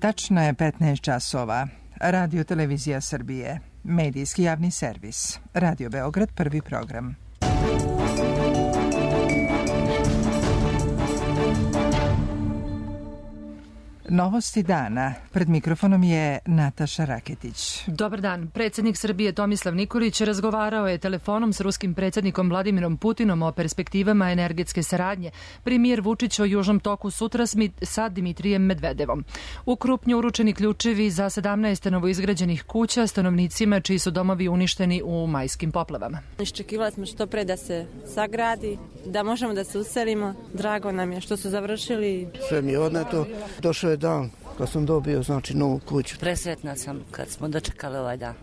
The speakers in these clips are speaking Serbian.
Tačno je 15 časova. Radio Televizija Srbije. Medijski javni servis. Radio Beograd, prvi program. Novosti dana. Pred mikrofonom je Nataša Raketić. Dobar dan. Predsjednik Srbije Tomislav Nikolić razgovarao je telefonom s ruskim predsjednikom Vladimirom Putinom o perspektivama energetske saradnje. Premijer Vučić o Južnom toku sutra sa Dmitrijem Medvedevom. U Krupnju uručeni ključevi za 17 novoizgrađenih kuća stanovnicima čiji su domovi uništeni u majskim poplavama. Iščekivali smo što pre da se sagradi, da možemo da se uselimo. Drago nam je što su završili. Sve mi je odneto. Došao je dan kad sam dobio novu kuću. Presretna sam kad smo dočekali ovaj dan.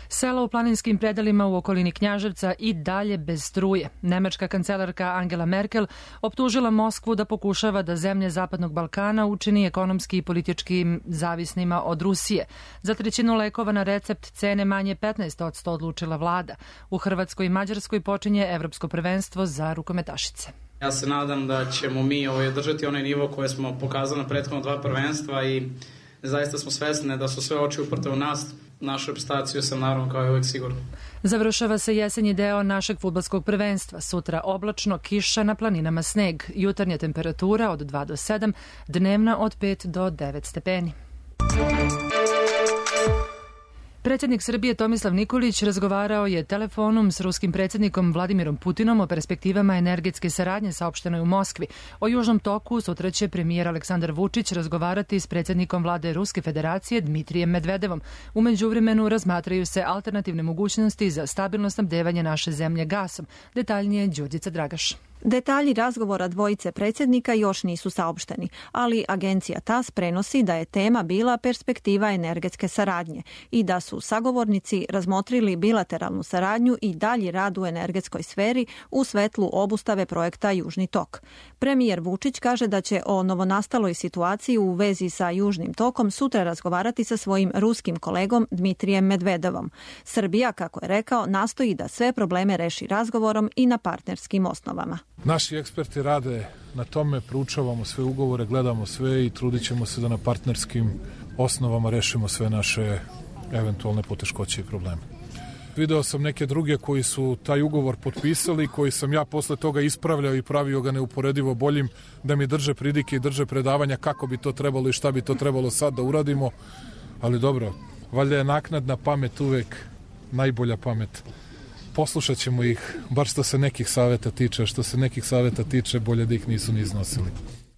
Sela u planinskim predelima u okolini Knjaževca i dalje bez struje. Nemačka kancelarka Angela Merkel optužila Moskvu da pokušava da zemlje Zapadnog Balkana učini ekonomski i politički zavisnima od Rusije. Za trećinu lekova na recept cene manje 15% odlučila vlada. U Hrvatskoj i Mađarskoj počinje Evropsko prvenstvo za rukometašice. Ja se nadam da ćemo mi održati onaj nivo koje smo pokazali na prethodno 2 prvenstva i zaista smo svesni da su sve oči uprte u nas. Našu reprezentaciju sam naravno kao i uvijek sigurno. Završava se jesenji deo našeg fudbalskog prvenstva. Sutra oblačno, kiša, na planinama sneg. Jutarnja temperatura od 2 do 7, dnevna od 5 do 9 stepeni. Predsjednik Srbije Tomislav Nikolić razgovarao je telefonom s ruskim predsjednikom Vladimirom Putinom o perspektivama energetske saradnje saopštenoj u Moskvi. O Južnom toku sutra će premijer Aleksandar Vučić razgovarati s predsjednikom vlade Ruske federacije Dmitrijem Medvedevom. U međuvremenu razmatraju se alternativne mogućnosti za stabilno snabdevanje naše zemlje gasom. Detaljnije Đurđica Dragaš. Detalji razgovora dvojice predsjednika još nisu saopšteni, ali agencija TASS prenosi da je tema bila perspektiva energetske saradnje i da su sagovornici razmotrili bilateralnu saradnju i dalji rad u energetskoj sferi u svetlu obustave projekta Južni tok. Premijer Vučić kaže da će o novonastaloj situaciji u vezi sa Južnim tokom sutra razgovarati sa svojim ruskim kolegom Dmitrijem Medvedevom. Srbija, kako je rekao, nastoji da sve probleme reši razgovorom i na partnerskim osnovama. Naši eksperti rade na tome, proučavamo sve ugovore, gledamo sve i trudit ćemo se da na partnerskim osnovama rešimo sve naše eventualne poteškoće i probleme. Video sam neke druge koji su taj ugovor potpisali, koji sam ja posle toga ispravljao i pravio ga neuporedivo boljim, da mi drže pridike i drže predavanja kako bi to trebalo i šta bi to trebalo sad da uradimo. Ali dobro, valjda je naknadna pamet uvek najbolja pamet. Poslušat ćemo ih, bar što se nekih savjeta tiče, što se nekih savjeta tiče, bolje da ih nisu ni iznosili.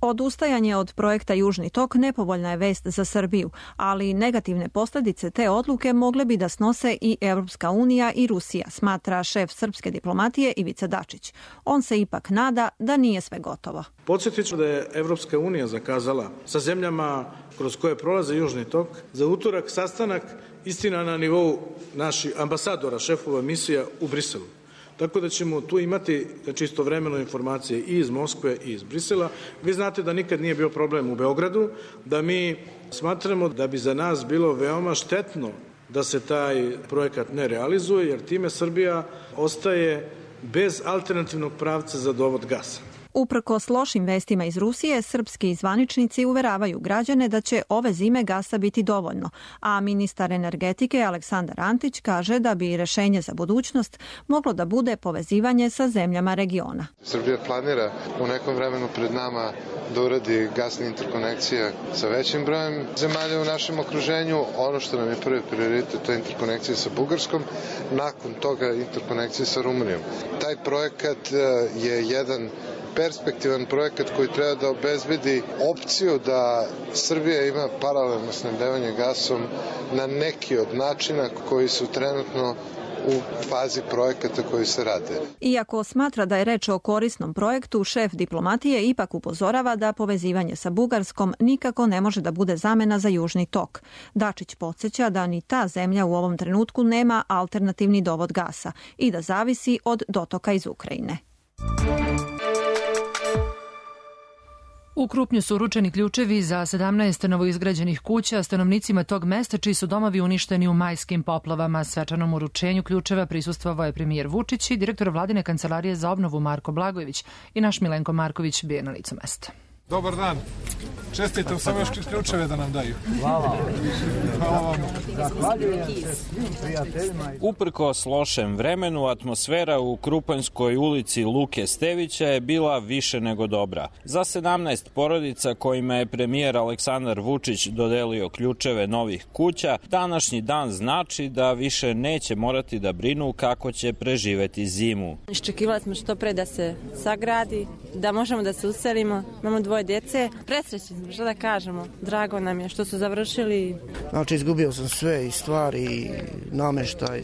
Odustajanje od projekta Južni tok nepovoljna je vest za Srbiju, ali negativne posljedice te odluke mogle bi da snose i Evropska unija i Rusija, smatra šef srpske diplomatije Ivica Dačić. On se ipak nada da nije sve gotovo. Podsjetit ću da je Evropska unija zakazala sa zemljama kroz koje prolaze Južni tok za utorak sastanak, istina na nivou naših ambasadora, šefova misija u Briselu. Tako da ćemo tu imati istovremeno informacije i iz Moskve i iz Brisela. Vi znate da nikad nije bio problem u Beogradu, da mi smatramo da bi za nas bilo veoma štetno da se taj projekat ne realizuje, jer time Srbija ostaje bez alternativnog pravca za dovod gasa. Uprkos lošim vestima iz Rusije, srpski zvaničnici uveravaju građane da će ove zime gasa biti dovoljno, a ministar energetike Aleksandar Antić kaže da bi rešenje za budućnost moglo da bude povezivanje sa zemljama regiona. Srbija planira u nekom vremenu pred nama da uradi gasne interkonekcije sa većim brojem zemalja u našem okruženju. Ono što nam je prvi prioritet, to je interkonekcija sa Bugarskom, nakon toga interkonekcija sa Rumunijom. Taj projekat je jedan perspektivan projekat koji treba da obezbedi opciju da Srbija ima paralelno snabdevanje gasom na neki od načina koji su trenutno u fazi projekata koji se rade. Iako smatra da je reč o korisnom projektu, šef diplomatije ipak upozorava da povezivanje sa Bugarskom nikako ne može da bude zamena za Južni tok. Dačić podsjeća da ni ta zemlja u ovom trenutku nema alternativni dovod gasa i da zavisi od dotoka iz Ukrajine. U Krupnju su uručeni ključevi za 17 novoizgrađenih kuća stanovnicima tog mesta čiji su domovi uništeni u majskim poplavama. Svečanom uručenju ključeva prisustvovao je premijer Vučić i direktor vladine kancelarije za obnovu Marko Blagojević i naš Milenko Marković bio na licu mesta. Dobar dan. Čestitam, samo još ključeve da nam daju. Hvala. Hvala vam. Zahvaljujem se svim prijateljima. Uprkos lošem vremenu, atmosfera u Krupanjskoj ulici Luke Stevića je bila više nego dobra. Za 17 porodica kojima je premijer Aleksandar Vučić dodelio ključeve novih kuća, današnji dan znači da više neće morati da brinu kako će preživeti zimu. Iščekivali smo što pre da se sagradi, da možemo da se uselimo. Imamo 2 djece. Presrećni smo, što da kažemo. Drago nam je što su završili. Znači, izgubio sam sve, i stvari, i nameštaj,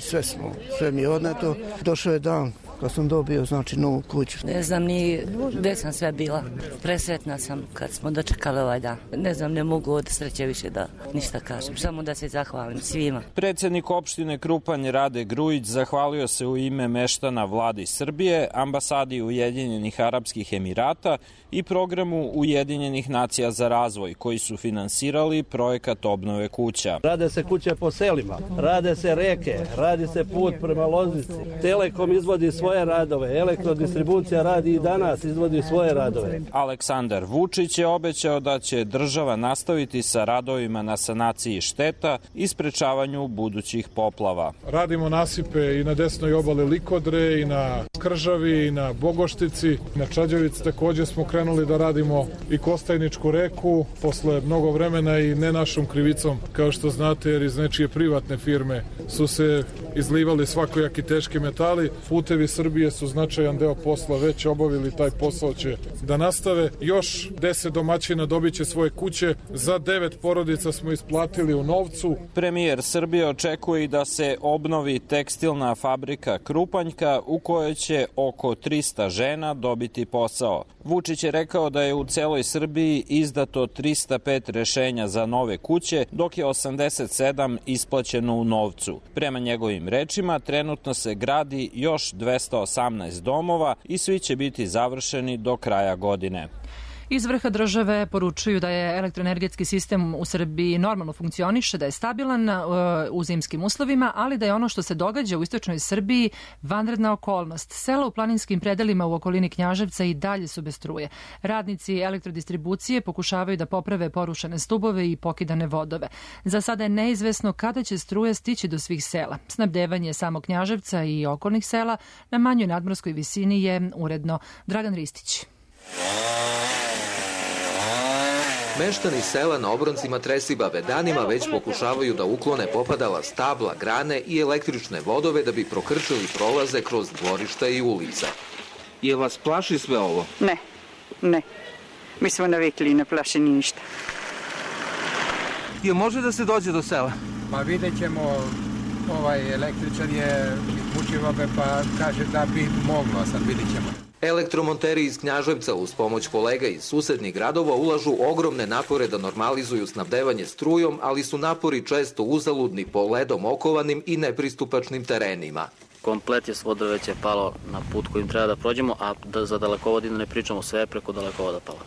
sve mi je odneto. Došao je dan kad sam dobio, znači, novu kuću. Ne znam ni gde sam sve bila. Presretna sam kad smo dočekali ovaj dan. Ne znam, ne mogu od sreće više da ništa kažem. Samo da se zahvalim svima. Predsednik opštine Krupanj Rade Grujić zahvalio se u ime meštana Vladi Srbije, ambasadi Ujedinjenih Arapskih Emirata i programu Ujedinjenih nacija za razvoj, koji su finansirali projekat obnove kuća. Rade se kuće po selima, rade se reke, radi se put prema Loznici. Telekom izvodi svoje radove, elektrodistribucija radi i danas, izvodi svoje radove. Aleksandar Vučić je obećao da će država nastaviti sa radovima na sanaciji šteta i sprečavanju budućih poplava. Radimo nasipe i na desnoj obali Likodre, i na Kržavi, i na Bogoštici. Na Čađevici takođe smo krenuli da radimo i Kostajničku reku posle mnogo vremena i ne našom krivicom, kao što znate, jer iz nečije privatne firme su se izlivali svakojaki teški metali. Putevi Srbije su značajan deo posla već obavili, taj posao će da nastave. Još 10 domaćina dobit će svoje kuće, za 9 porodica smo isplatili u novcu. Premijer Srbije očekuje i da se obnovi tekstilna fabrika Krupanjka u kojoj će oko 300 žena dobiti posao. Vučić je rekao da je u celoj Srbiji izdato 305 rešenja za nove kuće, dok je 87 isplaćeno u novcu. Prema njegovim rečima, trenutno se gradi još 218 domova i svi će biti završeni do kraja godine. Iz vrha države poručuju da je elektroenergetski sistem u Srbiji normalno funkcioniše, da je stabilan u zimskim uslovima, ali da je ono što se događa u istočnoj Srbiji vanredna okolnost. Sela u planinskim predelima u okolini Knjaževca i dalje su bez struje. Radnici elektrodistribucije pokušavaju da poprave porušene stubove i pokidane vodove. Za sada je neizvesno kada će struja stići do svih sela. Snabdevanje samog Knjaževca i okolnih sela na manjoj nadmorskoj visini je uredno. Dragan Ristić. Meštani sela na obroncima Tresibave danima već pokušavaju da uklone popadala stabla, grane i električne vodove da bi prokrčili prolaze kroz dvorišta i ulica. Je vas plaši sve ovo? Ne. Mi smo navikli, ne plaši ni ništa. Je može da se dođe do sela? Pa vidjet ćemo, električar je iz Vučivabe pa kaže da bi moglo, sad vidjet ćemo. Elektromonteri iz Knjaževca uz pomoć kolega iz susednih gradova ulažu ogromne napore da normalizuju snabdevanje strujom, ali su napori često uzaludni po ledom okovanim i nepristupačnim terenima. Komplet je vodove već je palo na put kojim treba da prođemo, a za dalekovod ne pričamo, sve preko dalekovoda palo.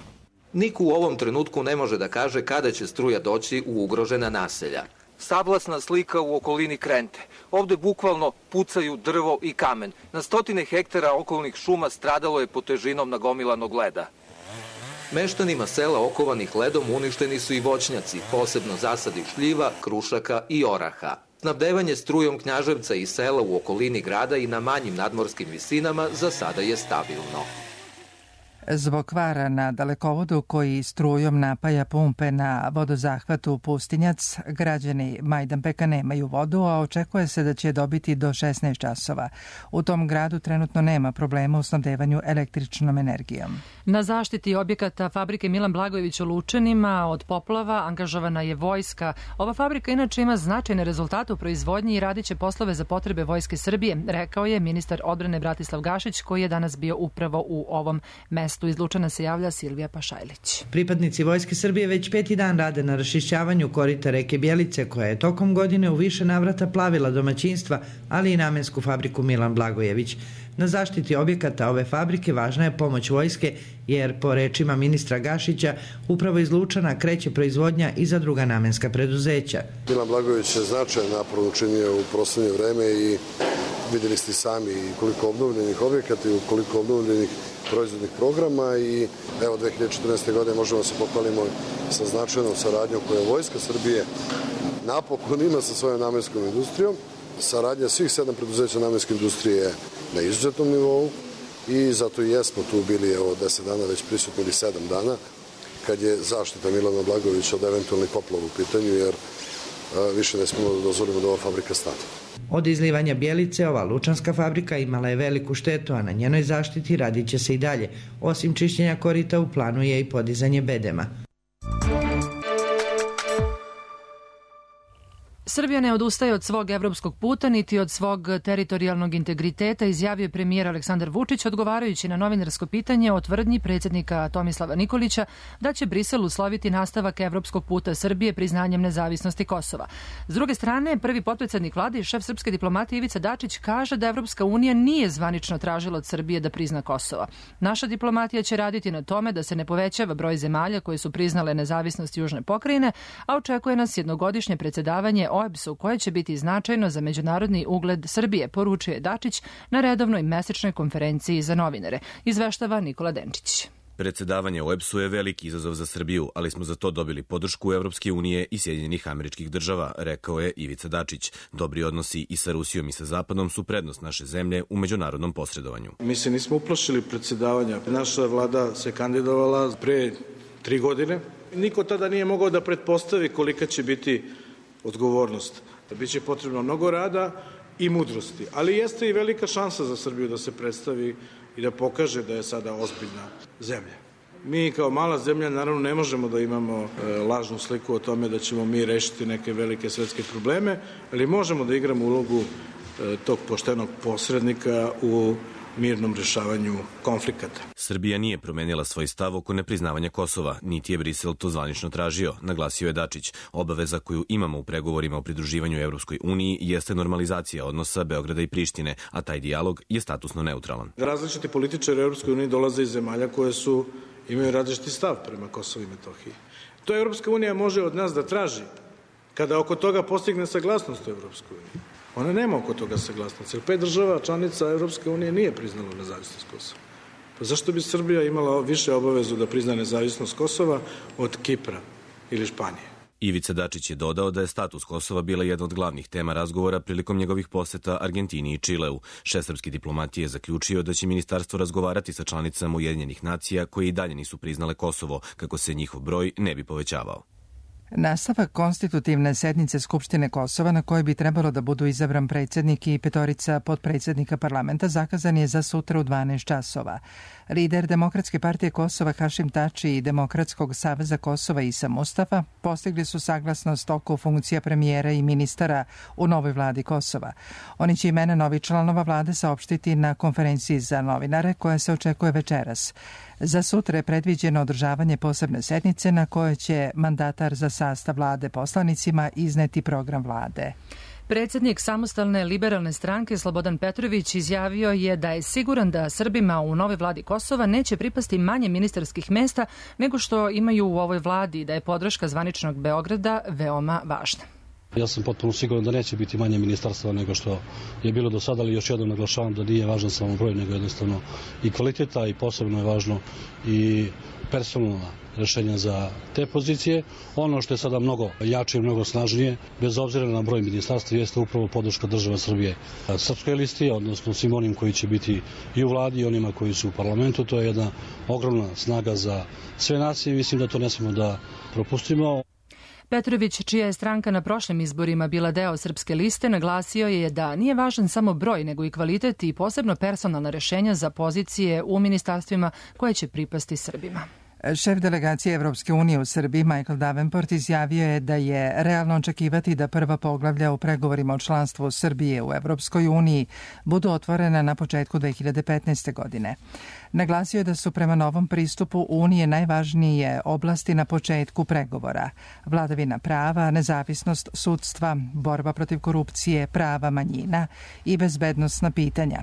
Niko u ovom trenutku ne može da kaže kada će struja doći u ugrožena naselja. Sablasna slika u okolini Krente. Ovde bukvalno pucaju drvo i kamen. Na stotine hektara okolnih šuma stradalo je pod težinom nagomilanog leda. Meštanima sela okovanih ledom uništeni su i voćnjaci, posebno zasadi šljiva, krušaka i oraha. Snabdevanje strujom Knjaževca i sela u okolini grada i na manjim nadmorskim visinama za sada je stabilno. Zbog kvara na dalekovodu koji strujom napaja pumpe na vodozahvatu Pustinjac, građani Majdanpeka nemaju vodu, a očekuje se da će dobiti do 16 časova. U tom gradu trenutno nema problema u snabdevanju električnom energijom. Na zaštiti objekata fabrike Milan Blagojević u Lučanima od poplava angažovana je vojska. Ova fabrika inače ima značajne rezultate u proizvodnji i radit će poslove za potrebe Vojske Srbije, rekao je ministar odbrane Bratislav Gašić, koji je danas bio upravo u ovom mestu. Iz Lučana se javlja Silvija Pašajlić. Pripadnici Vojske Srbije već 5. dan rade na raščišćavanju korita reke Bjelice, koja je tokom godine u više navrata plavila domaćinstva, ali i namensku fabriku Milan Blagojević. Na zaštiti objekata ove fabrike važna je pomoć vojske, jer po rečima ministra Gašića upravo iz Lučana kreće proizvodnja i za druga namenska preduzeća. Milan Blagojević je značajan napor učinio u poslednje vreme i vidjeli ste sami koliko obnovljenih objekata i koliko obnovljenih proizvodnih programa i evo 2014. godine možemo se pohvalimo sa značajnom saradnjom koju Vojska Srbije napokon ima sa svojom namenskom industrijom. Saradnja svih 7 preduzeća namenske industrije je na izuzetnom nivou i zato i jesmo tu bili 10 dana već prisutni ili 7 dana kad je zaštita Milana Blagojevića od eventualnih poplava u pitanju jer više ne smemo da dozvolimo da ova fabrika stane. Od izlivanja Bjelice ova lučanska fabrika imala je veliku štetu, a na njenoj zaštiti radit će se i dalje. Osim čišćenja korita u planu je i podizanje bedema. Srbija ne odustaje od svog evropskog puta niti od svog teritorijalnog integriteta, izjavio je premijer Aleksandar Vučić odgovarajući na novinarsko pitanje o tvrdnji predsjednika Tomislava Nikolića da će Brisel usloviti nastavak evropskog puta Srbije priznanjem nezavisnosti Kosova. S druge strane, prvi potpredsjednik vlade i šef srpske diplomatije Ivica Dačić kaže da Evropska unija nije zvanično tražila od Srbije da prizna Kosovo. Naša diplomatija će raditi na tome da se ne povećava broj zemalja koje su priznale nezavisnost južne pokrajine, a očekuje nas jednogodišnje predsjedavanje OEBS-u koje će biti značajno za međunarodni ugled Srbije, poručuje Dačić na redovnoj mesečnoj konferenciji za novinare. Izveštava Nikola Denčić. Predsjedavanje OEBS-u je veliki izazov za Srbiju, ali smo za to dobili podršku Evropske unije i Sjedinjenih Američkih Država, rekao je Ivica Dačić. Dobri odnosi i sa Rusijom i sa Zapadom su prednost naše zemlje u međunarodnom posredovanju. Mi se nismo uplašili predsjedavanja. Naša vlada se kandidovala pre 3 godine. Niko tada nije mogao da pretpostavi kolika će biti odgovornost. Biće potrebno mnogo rada i mudrosti, ali jeste i velika šansa za Srbiju da se predstavi i da pokaže da je sada ozbiljna zemlja. Mi kao mala zemlja naravno ne možemo da imamo lažnu sliku o tome da ćemo mi rešiti neke velike svetske probleme, ali možemo da igramo ulogu tog poštenog posrednika u mirnom rešavanju konflikata. Srbija nije promenila svoj stav oko nepriznavanja Kosova, niti je Brisel to zvanično tražio, naglasio je Dačić. Obaveza koju imamo u pregovorima o pridruživanju Evropskoj uniji jeste normalizacija odnosa Beograda i Prištine, a taj dijalog je statusno neutralan. Različiti političari Evropskoj uniji dolaze iz zemalja koje imaju različiti stav prema Kosovu i Metohiji. To Evropska unija može od nas da traži kada oko toga postigne saglasnost u Evropskoj uniji. Ona nema oko toga saglasnosti, jer 5 država članica Evropske unije nije priznalo nezavisnost Kosova. Pa zašto bi Srbija imala više obavezu da prizna nezavisnost Kosova od Kipra ili Španije? Ivica Dačić je dodao da je status Kosova bila jedna od glavnih tema razgovora prilikom njegovih poseta Argentini i Čileu. Šef srpske diplomatije je zaključio da će ministarstvo razgovarati sa članicama Ujedinjenih nacija koje i dalje nisu priznale Kosovo, kako se njihov broj ne bi povećavao. Nastavak konstitutivne sednice Skupštine Kosova na kojoj bi trebalo da budu izabran predsjednik i 5 potpredsjednika parlamenta zakazan je za sutra u 12 časova. Lider Demokratske partije Kosova Hašim Tači i Demokratskog saveza Kosova Isa Mustafa postigli su saglasnost oko funkcija premijera i ministara u novoj vladi Kosova. Oni će imena novih članova vlade saopštiti na konferenciji za novinare koja se očekuje večeras. Za sutra je predviđeno održavanje posebne sednice na kojoj će mandatar za sastav vlade poslanicima izneti program vlade. Predsjednik Samostalne liberalne stranke Slobodan Petrović izjavio je da je siguran da Srbima u novoj vladi Kosova neće pripasti manje ministarskih mesta nego što imaju u ovoj vladi, da je podrška zvaničnog Beograda veoma važna. Ja sam potpuno siguran da neće biti manje ministarstva nego što je bilo do sada, ali još jednom naglašavam da nije važan samo broj, nego jednostavno i kvaliteta i posebno je važno i personalna rešenja za te pozicije. Ono što je sada mnogo jače i mnogo snažnije, bez obzira na broj ministarstva, jeste upravo podrška država Srbije srpskoj listi, odnosno svim onim koji će biti i u vladi i onima koji su u parlamentu. To je jedna ogromna snaga za sve nas i mislim da to ne smemo da propustimo. Petrović, čija je stranka na prošlim izborima bila deo Srpske liste, naglasio je da nije važan samo broj, nego i kvalitet i posebno personalna rešenja za pozicije u ministarstvima koje će pripasti Srbima. Šef delegacije Evropske unije u Srbiji Michael Davenport izjavio je da je realno očekivati da prva poglavlja u pregovorima o članstvu Srbije u Evropskoj uniji budu otvorena na početku 2015. godine. Naglasio je da su prema novom pristupu Unije najvažnije oblasti na početku pregovora: vladavina prava, nezavisnost sudstva, borba protiv korupcije, prava manjina i bezbednosna pitanja.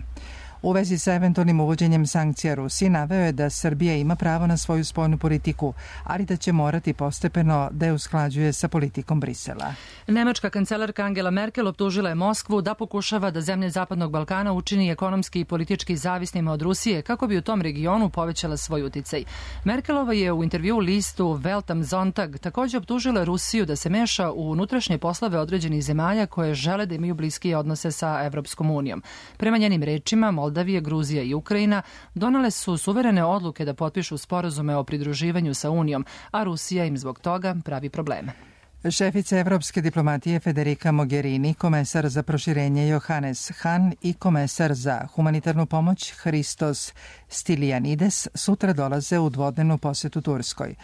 U vezi sa eventualnim uvođenjem sankcija Rusiji naveo je da Srbija ima pravo na svoju spoljnu politiku, ali da će morati postepeno da je usklađuje sa politikom Brisela. Nemačka kancelarka Angela Merkel optužila je Moskvu da pokušava da zemlje Zapadnog Balkana učini ekonomski i politički zavisnima od Rusije kako bi u tom regionu povećala svoj uticaj. Merkelova je u intervjuu listu Welt am Sonntag također optužila Rusiju da se meša u unutrašnje poslove određenih zemalja koje žele da imaju bliskije odnose sa Evropskom unijom. Prema njenim rečima, Moldavija, Gruzija i Ukrajina donale su suverene odluke da potpišu sporazume o pridruživanju sa Unijom, a Rusija im zbog toga pravi probleme. Šefica evropske diplomatije Federica Mogherini, komesar za proširenje Johannes Hahn i komesar za humanitarnu pomoć Christos Stylianides sutra dolaze u dvodnevnu posetu Turskoj.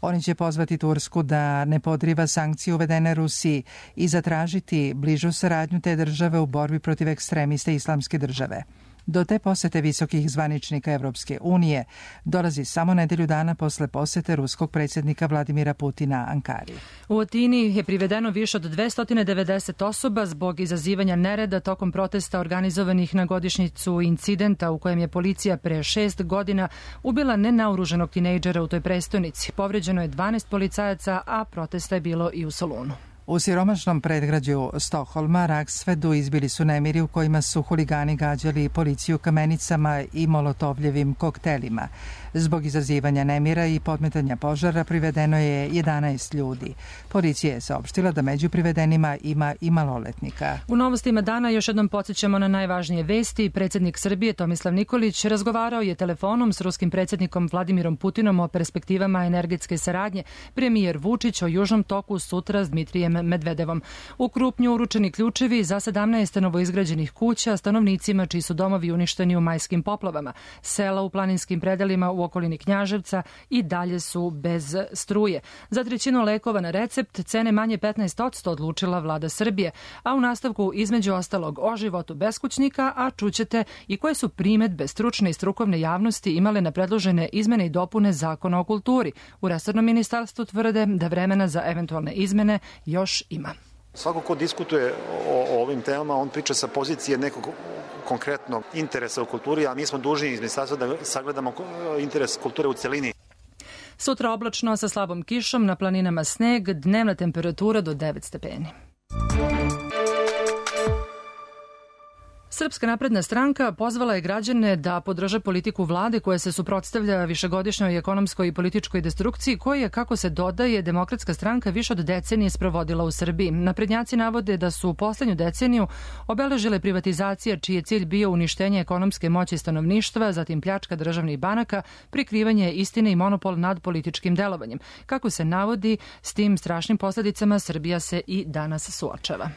Oni će pozvati Tursku da ne podriva sankcije uvedene Rusiji i zatražiti bližu saradnju te države u borbi protiv ekstremiste Islamske države. Do te posete visokih zvaničnika Evropske unije dolazi samo nedelju dana posle posete ruskog predsjednika Vladimira Putina Ankari. U Atini je privedeno više od 290 osoba zbog izazivanja nereda tokom protesta organizovanih na godišnjicu incidenta u kojem je policija pre 6 godina ubila nenaoruženog tinejdžera u toj prestonici. Povređeno je 12 policajaca, a protesta je bilo i u Solunu. U siromašnom predgrađu Stokholma, Raksvedu, izbili su nemiri u kojima su huligani gađali policiju kamenicama i molotovljevim koktelima. Zbog izazivanja nemira i podmetanja požara privedeno je 11 ljudi. Policija je saopštila da među privedenima ima i maloletnika. U novostima dana još jednom podsjećamo na najvažnije vesti. Predsjednik Srbije Tomislav Nikolić razgovarao je telefonom s ruskim predsjednikom Vladimirom Putinom o perspektivama energetske saradnje. Premijer Vučić o Južnom toku sutra s Dmitrijem Medvedevom. U Krupnju uručeni ključevi za 17 novoizgrađenih kuća stanovnicima čiji su domovi uništeni u majskim poplavama. Sela u planinskim predelima u okolini Knjaževca i dalje su bez struje. Za trećinu lekova na recept cene manje 15% odlučila vlada Srbije, a u nastavku između ostalog o životu beskućnika, a čućete i koje su primedbe stručne i strukovne javnosti imale na predložene izmene i dopune Zakona o kulturi. U resornom ministarstvu tvrde da vremena za eventualne izmene još ima. Svako ko diskutuje o ovim temama, on priča sa pozicije nekog konkretnog interesa u kulturi, a mi smo dužni iz ministarstva da sagledamo interes kulture u celini. Sutra oblačno sa slabom kišom, na planinama sneg, dnevna temperatura do 9 stepeni. Srpska napredna stranka pozvala je građane da podrže politiku vlade koja se suprotstavlja višegodišnjoj ekonomskoj i političkoj destrukciji koju je, kako se dodaje, Demokratska stranka više od decenije sprovodila u Srbiji. Naprednjaci navode da su u poslednju deceniju obeležile privatizacije čiji je cilj bio uništenje ekonomske moći stanovništva, zatim pljačka državnih banaka, prikrivanje istine i monopol nad političkim delovanjem. Kako se navodi, s tim strašnim posledicama Srbija se i danas suočava.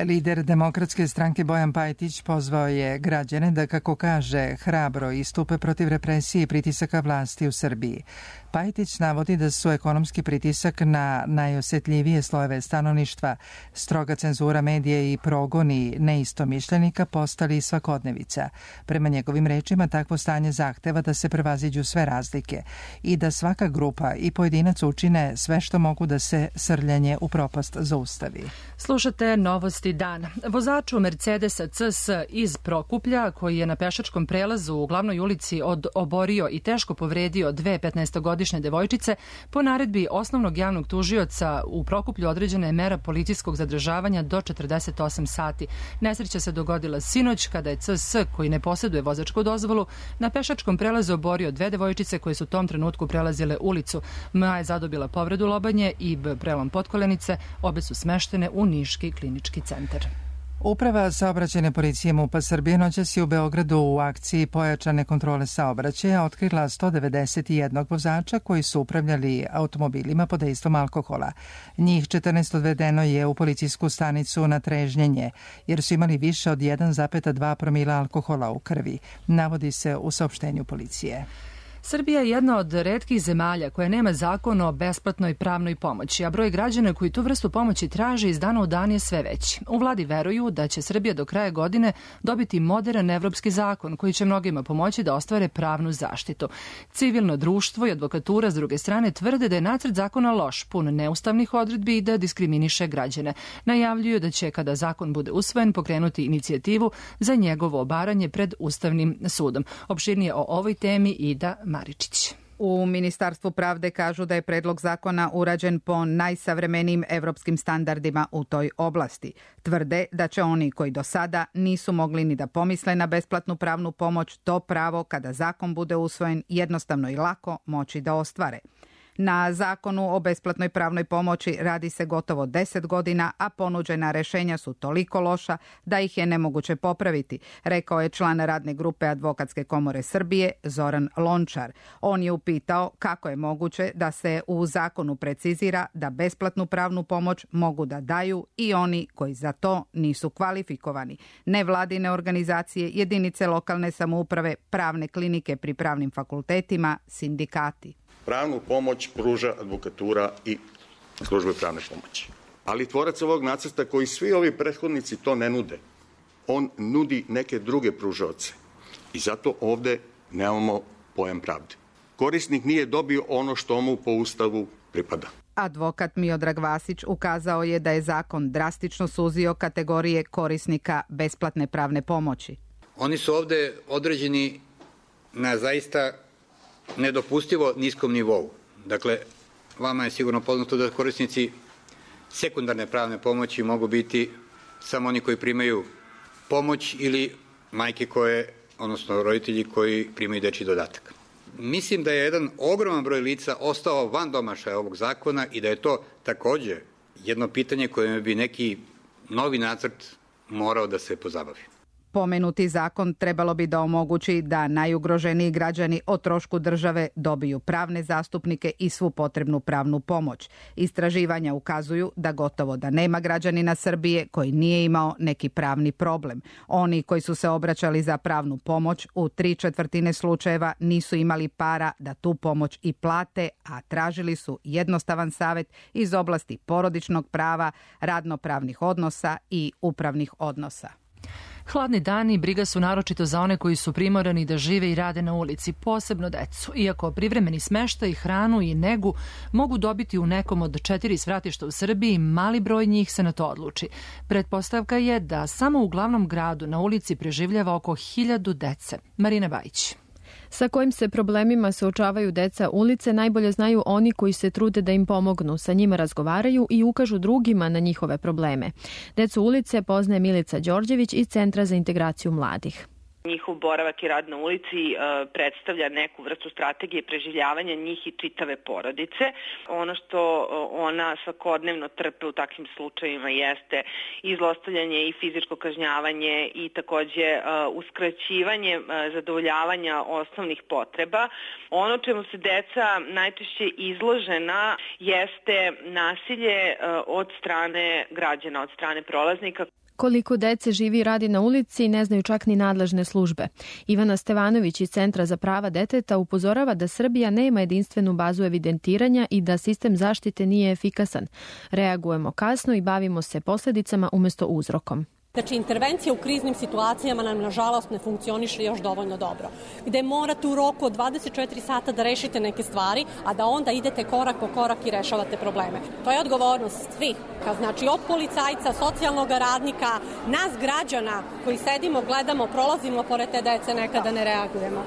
Lider Demokratske stranke Bojan Pajtić pozvao je građane da, kako kaže, hrabro istupe protiv represije i pritisaka vlasti u Srbiji. Pajtić navodi da su ekonomski pritisak na najosetljivije slojeve stanovništva, stroga cenzura medija i progoni neistomišljenika postali svakodnevica. Prema njegovim rečima, takvo stanje zahteva da se prevaziđu sve razlike i da svaka grupa i pojedinac učine sve što mogu da se srljanje u propast zaustavi. Slušate novosti dana. Vozaču Mercedesa CS iz Prokuplja, koji je na pešačkom prelazu u glavnoj ulici oborio i teško povredio dve 15-godišnje devojčice, po naredbi osnovnog javnog tužioca u Prokuplju određena je mera policijskog zadržavanja do 48 sati. Nesreća se dogodila sinoć kada je CS, koji ne posjeduje vozačku dozvolu, na pešačkom prelazu oborio dve devojčice koje su u tom trenutku prelazile ulicu. MA je zadobila povredu lobanje i prelom potkolenice. Obe su smeštene u Niški klinički centar. Uprava saobraćajne policije MUP-a Srbije noćas je u Beogradu u akciji pojačane kontrole saobraćaja otkrila 191 vozača koji su upravljali automobilima pod dejstvom alkohola. Njih 14 odvedeno je u policijsku stanicu na trežnjenje, jer su imali više od 1,2 promila alkohola u krvi, navodi se u saopštenju policije. Srbija je jedna od retkih zemalja koja nema zakon o besplatnoj pravnoj pomoći, a broj građana koji tu vrstu pomoći traže iz dana u dan je sve veći. U vladi veruju da će Srbija do kraja godine dobiti moderan evropski zakon koji će mnogima pomoći da ostvare pravnu zaštitu. Civilno društvo i advokatura s druge strane tvrde da je nacrt zakona loš, pun neustavnih odredbi i da diskriminiše građane. Najavljuju da će, kada zakon bude usvojen, pokrenuti inicijativu za njegovo obaranje pred Ustavnim sudom. Opširnije o ovoj temi Ida Maričić. U Ministarstvu pravde kažu da je predlog zakona urađen po najsavremenijim evropskim standardima u toj oblasti. Tvrde da će oni koji do sada nisu mogli ni da pomisle na besplatnu pravnu pomoć, to pravo kada zakon bude usvojen jednostavno i lako moći da ostvare. Na zakonu o besplatnoj pravnoj pomoći radi se gotovo 10 godina, a ponuđena rešenja su toliko loša da ih je nemoguće popraviti, rekao je član radne grupe Advokatske komore Srbije Zoran Lončar. On je upitao kako je moguće da se u zakonu precizira da besplatnu pravnu pomoć mogu da daju i oni koji za to nisu kvalifikovani. Nevladine organizacije, jedinice lokalne samouprave, pravne klinike pri pravnim fakultetima, sindikati. Pravnu pomoć pruža advokatura i službe pravne pomoći. Ali tvorac ovog nacrta, koji svi ovi prethodnici to ne nude, on nudi neke druge pružaoce. I zato ovde nemamo pojam pravde. Korisnik nije dobio ono što mu po Ustavu pripada. Advokat Miodrag Vasić ukazao je da je zakon drastično suzio kategorije korisnika besplatne pravne pomoći. Oni su ovde određeni na zaista nedopustivo niskom nivou. Dakle, vama je sigurno poznato da korisnici sekundarne pravne pomoći mogu biti samo oni koji primaju pomoć ili majke koje, odnosno roditelji koji primaju dečji dodatak. Mislim da je jedan ogroman broj lica ostao van domašaja ovog zakona i da je to takođe jedno pitanje koje bi neki novi nacrt morao da se pozabavi. Pomenuti zakon trebalo bi da omogući da najugroženiji građani o trošku države dobiju pravne zastupnike i svu potrebnu pravnu pomoć. Istraživanja ukazuju da gotovo da nema građanina Srbije koji nije imao neki pravni problem. Oni koji su se obraćali za pravnu pomoć u 3/4 slučajeva nisu imali para da tu pomoć i plate, a tražili su jednostavan savet iz oblasti porodičnog prava, radnopravnih odnosa i upravnih odnosa. Hladni dani i briga su naročito za one koji su primorani da žive i rade na ulici, posebno decu. Iako privremeni smeštaj, hranu i negu mogu dobiti u nekom od 4 svratišta u Srbiji, mali broj njih se na to odluči. Pretpostavka je da samo u glavnom gradu na ulici preživljava oko 1000 dece. Marina Bajić. Sa kojim se problemima suočavaju deca ulice najbolje znaju oni koji se trude da im pomognu, sa njima razgovaraju i ukažu drugima na njihove probleme. Decu ulice poznaje Milica Đorđević iz Centra za integraciju mladih. Njihov boravak i rad na ulici predstavlja neku vrstu strategije preživljavanja njih i čitave porodice. Ono što ona svakodnevno trpe u takvim slučajevima jeste i zlostavljanje i fizičko kažnjavanje i takođe uskraćivanje zadovoljavanja osnovnih potreba. Ono čemu se deca najčešće izložena jeste nasilje od strane građana, od strane prolaznika. Koliko dece živi i radi na ulici ne znaju čak ni nadležne službe. Ivana Stevanović iz Centra za prava deteta upozorava da Srbija nema jedinstvenu bazu evidentiranja i da sistem zaštite nije efikasan. Reagujemo kasno i bavimo se posledicama umesto uzrokom. Znači, intervencija u kriznim situacijama nam, nažalost, ne funkcioniše još dovoljno dobro. Gde morate u roku od 24 sata da rešite neke stvari, a da onda idete korak po korak i rešavate probleme. To je odgovornost svih. Znači, od policajca, socijalnog radnika, nas građana koji sedimo, gledamo, prolazimo pored te dece, nekada ne reagujemo.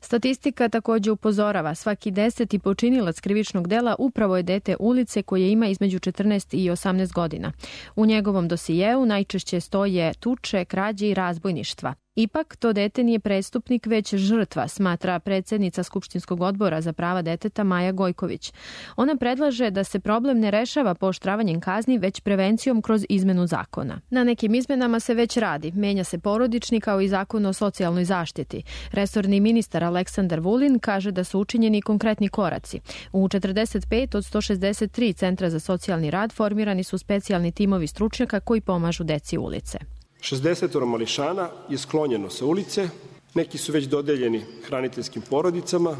Statistika također upozorava, svaki 10. počinilac krivičnog dela upravo je dete ulice koje ima između 14 i 18 godina. U njegovom dosijeu najčešće stoje tuče, krađe i razbojništva. Ipak, to dete nije prestupnik, već žrtva, smatra predsjednica Skupštinskog odbora za prava deteta Maja Gojković. Ona predlaže da se problem ne rešava pooštravanjem kazni, već prevencijom kroz izmenu zakona. Na nekim izmenama se već radi. Menja se porodični kao i zakon o socijalnoj zaštiti. Resorni ministar Aleksandar Vulin kaže da su učinjeni konkretni koraci. U 45 od 163 centra za socijalni rad formirani su specijalni timovi stručnjaka koji pomažu deci ulice. 60 mališana je sklonjeno sa ulice Neki su već dodeljeni hraniteljskim porodicama,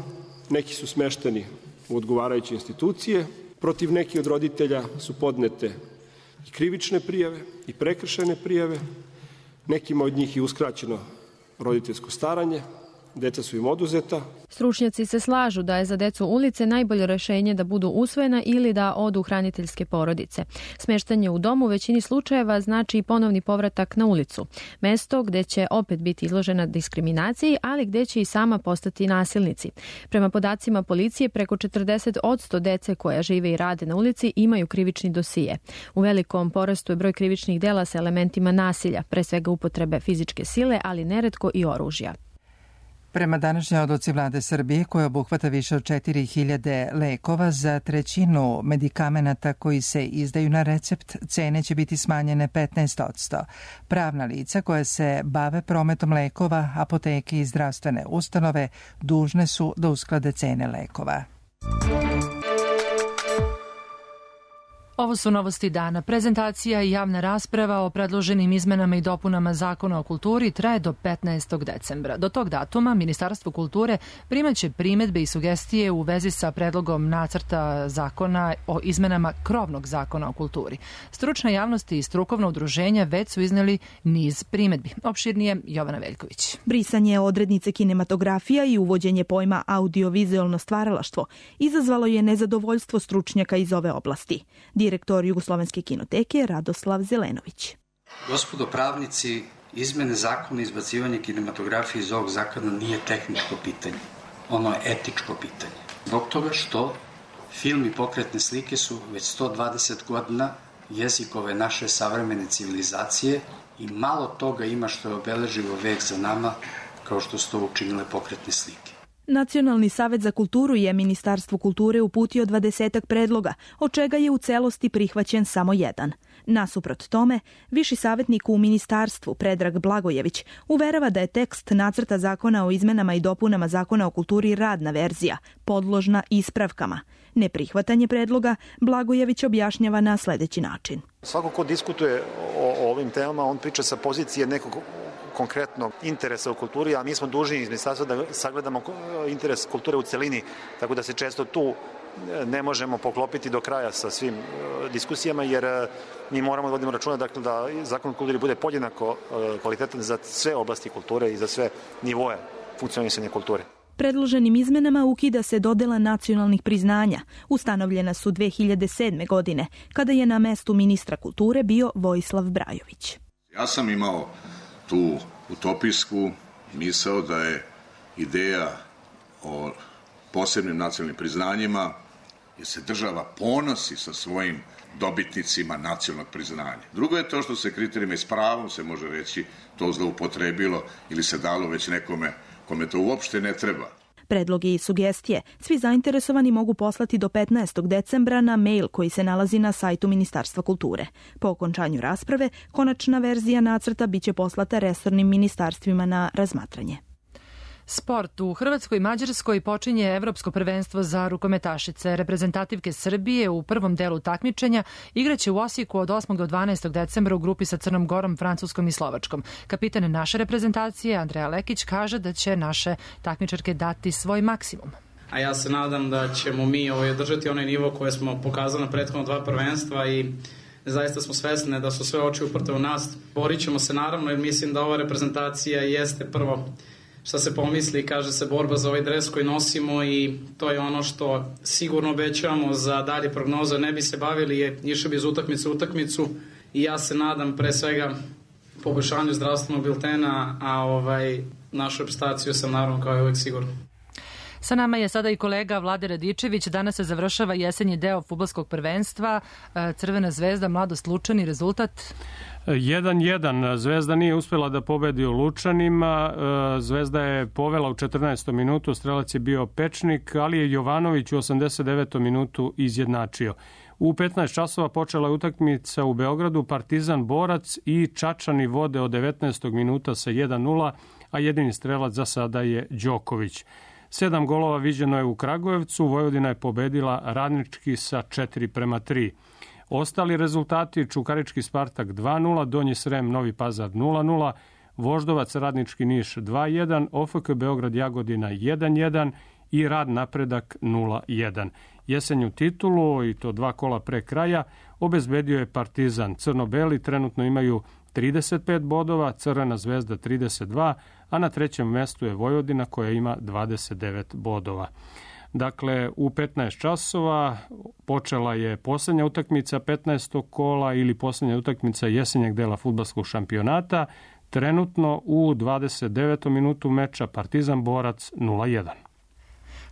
neki su smešteni u odgovarajuće institucije, protiv nekih od roditelja su podnete i krivične prijave i prekršajne prijave, nekima od njih je uskraćeno roditeljsko staranje, deca su im oduzeta. Stručnjaci se slažu da je za decu ulice najbolje rešenje da budu usvojena ili da odu hraniteljske porodice. Smeštanje u domu u većini slučajeva znači i ponovni povratak na ulicu. Mesto gde će opet biti izložena diskriminaciji, ali gde će i sama postati nasilnici. Prema podacima policije, preko 40% dece koja žive i rade na ulici imaju krivični dosije. U velikom porastu je broj krivičnih dela sa elementima nasilja, pre svega upotrebe fizičke sile, ali neretko i oružja. Prema današnjoj odluci vlade Srbije, koja obuhvata više od 4000 lekova, za trećinu medikamenata koji se izdaju na recept, cene će biti smanjene 15%. Pravna lica koja se bave prometom lekova, apoteke i zdravstvene ustanove dužne su da usklade cene lekova. Ovo su novosti dana. Prezentacija i javna rasprava o predloženim izmenama i dopunama Zakona o kulturi traje do 15. decembra. Do tog datuma Ministarstvo kulture primaće primedbe i sugestije u vezi sa predlogom nacrta zakona o izmenama krovnog Zakona o kulturi. Stručna javnost i strukovna udruženja već su izneli niz primedbi. Opširnije Jovana Veljković. Brisanje odrednice kinematografija i uvođenje pojma audiovizualno stvaralaštvo izazvalo je nezadovoljstvo stručnjaka iz ove oblasti. Direktor Jugoslovenske kinoteke Radoslav Zelenović. Gospodo pravnici, izmene zakona i izbacivanje kinematografije iz ovog zakona nije tehničko pitanje. Ono je etičko pitanje. Zbog toga što film i pokretne slike su već 120 godina jezik ove naše savremene civilizacije i malo toga ima što je obeleživo vek za nama kao što su to učinile pokretne slike. Nacionalni savet za kulturu je Ministarstvu kulture uputio 20 predloga, od čega je u celosti prihvaćen samo jedan. Nasuprot tome, viši savjetnik u ministarstvu Predrag Blagojević uverava da je tekst nacrta zakona o izmenama i dopunama Zakona o kulturi radna verzija, podložna ispravkama. Neprihvatanje predloga Blagojević objašnjava na sledeći način. Svako ko diskutuje o ovim temama, on priča sa pozicije nekog konkretnog interesa u kulturi, a mi smo dužni iz ministarstva da sagledamo interes kulture u celini, tako da se često tu ne možemo poklopiti do kraja sa svim diskusijama, jer mi moramo da vodimo računa da Zakon o kulturi bude podjednako kvalitetan za sve oblasti kulture i za sve nivoe funkcionisanja kulture. Predloženim izmenama ukida se dodela nacionalnih priznanja. Ustanovljena su 2007. godine, kada je na mestu ministra kulture bio Vojislav Brajović. Ja sam imao tu utopijsku misao da je ideja o posebnim nacionalnim priznanjima jer se država ponosi sa svojim dobitnicima nacionalnog priznanja. Drugo je to što se kriterijima i s pravom se može reći to zloupotrebilo ili se dalo već nekome kome to uopšte ne treba. Predloge i sugestije svi zainteresovani mogu poslati do 15. decembra na mail koji se nalazi na sajtu Ministarstva kulture. Po okončanju rasprave, konačna verzija nacrta biće poslata resornim ministarstvima na razmatranje. Sport. U Hrvatskoj i Mađarskoj počinje Evropsko prvenstvo za rukometašice. Reprezentativke Srbije u prvom delu takmičenja igraće u Osijeku od 8. do 12. decembra u grupi sa Crnom Gorom, Francuskom i Slovačkom. Kapitan naše reprezentacije, Andreja Lekić, kaže da će naše takmičarke dati svoj maksimum. A ja se nadam da ćemo mi održati onaj nivo koje smo pokazali na prethodno dva prvenstva i zaista smo svesni da su sve oči uprte u nas. Borit ćemo se naravno jer mislim da ova reprezentacija jeste prvo šta se pomisli, kaže se borba za ovaj dres koji nosimo i to je ono što sigurno obećavamo za dalje prognoze. Ne bi se bavili, išli bi iz utakmice u utakmicu i ja se nadam pre svega poboljšanju zdravstvenog biltena, a našu reprezentaciju sam naravno kao i uvek sigurno. Sa nama je sada i kolega Vlade Radičević. Danas se završava jesenji deo fudbalskog prvenstva. Crvena zvezda, Mladost Lučani, rezultat? 1-1. Zvezda nije uspela da pobedi u Lučanima. Zvezda je povela u 14. minutu, strelac je bio Pečnik, ali je Jovanović u 89. minutu izjednačio. U 15 časova počela je utakmica u Beogradu, Partizan Borac i Čačani vode od 19. minuta sa 1-0, a jedini strelac za sada je Đoković. 7 golova viđeno je u Kragujevcu, Vojvodina je pobedila Radnički sa 4-3. Ostali rezultati: Čukarički Spartak 2-0, Donji Srem Novi Pazar 0-0, Voždovac Radnički Niš 2-1, OFK Beograd Jagodina 1-1 i Rad Napredak 0-1. Jesenju titulu, i to 2 kola pre kraja, obezbedio je Partizan. Crno-beli trenutno imaju 35 bodova, Crvena zvezda 32, a na 3. mestu je Vojvodina koja ima 29 bodova. Dakle, u 15 časova počela je poslednja utakmica 15. kola ili poslednja utakmica jesenjeg dela fudbalskog šampionata. Trenutno u 29. minutu meča Partizan Borac 0-1.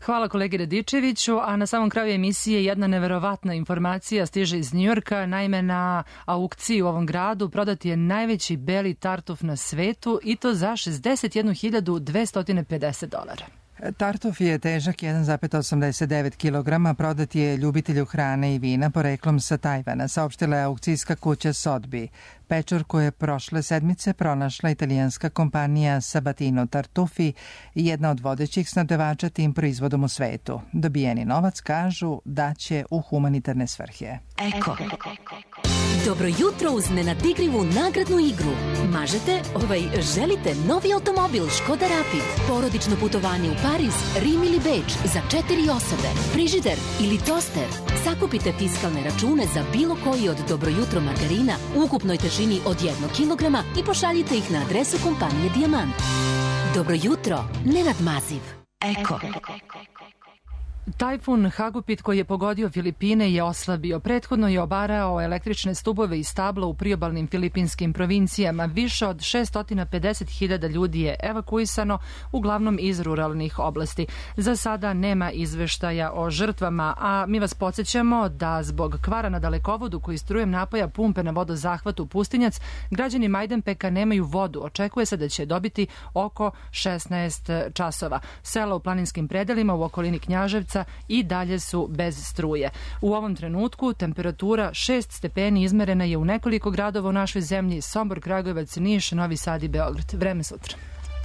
Hvala kolegi Radičeviću, a na samom kraju emisije jedna neverovatna informacija stiže iz Njujorka. Naime, na aukciji u ovom gradu prodat je najveći beli tartuf na svetu i to za $61.250. Tartuf je težak 1,89 kg, prodat je ljubitelju hrane i vina poreklom sa Tajvana, saopštila je aukcijska kuća Sotheby. Pečurku je prošle sedmice pronašla italijanska kompanija Sabatino Tartufi, jedna od vodećih snabdevača tim proizvodom u svetu. Dobijeni novac kažu da će u humanitarne svrhe. Eko. Dobro jutro uz nenadikrivu nagradnu igru. Mažete, želite novi automobil Škoda Rapid, porodično putovanje u Pariz, Rim ili Beč za 4 osobe, frižider ili toster. Sakupite fiskalne račune za bilo koji od Dobro jutro margarina u ukupnoj težini od 1 kg i pošaljite ih na adresu kompanije Dijamant. Dobro jutro, Nenad Maziv. Eko. Tajfun Hagupit koji je pogodio Filipine je oslabio. Prethodno je obarao električne stubove i stabla u priobalnim filipinskim provincijama. Više od 650.000 ljudi je evakuisano, uglavnom iz ruralnih oblasti. Za sada nema izveštaja o žrtvama, a mi vas podsjećamo da zbog kvara na dalekovodu koji strujem napaja pumpe na vodozahvatu Pustinjac, građani Majdanpeka nemaju vodu. Očekuje se da će dobiti oko 16 časova. Sela u planinskim predelima u okolini Knjaževca i dalje su bez struje. U ovom trenutku temperatura 6 stepeni izmerena je u nekoliko gradova u našoj zemlji: Sombor, Kragujevac, Niš, Novi Sad i Beograd. Vreme sutra.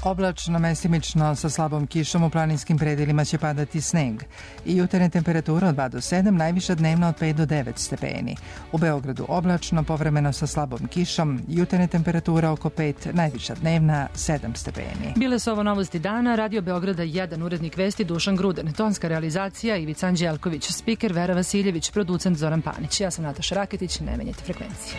Oblačno, mestimično, sa slabom kišom, u planinskim predelima će padati sneg. I jutarnje temperatura od 2 do 7, najviša dnevna od 5 do 9 stepeni. U Beogradu oblačno, povremeno sa slabom kišom, jutarnje temperatura oko 5, najviša dnevna 7 stepeni. Bile su ovo novosti dana. Radio Beograda 1, urednik vesti Dušan Gruden, tonska realizacija Ivica Anđelković, spiker Vera Vasiljević, producent Zoran Panić. Ja sam Nataša Raketić, ne menjajte frekvencije.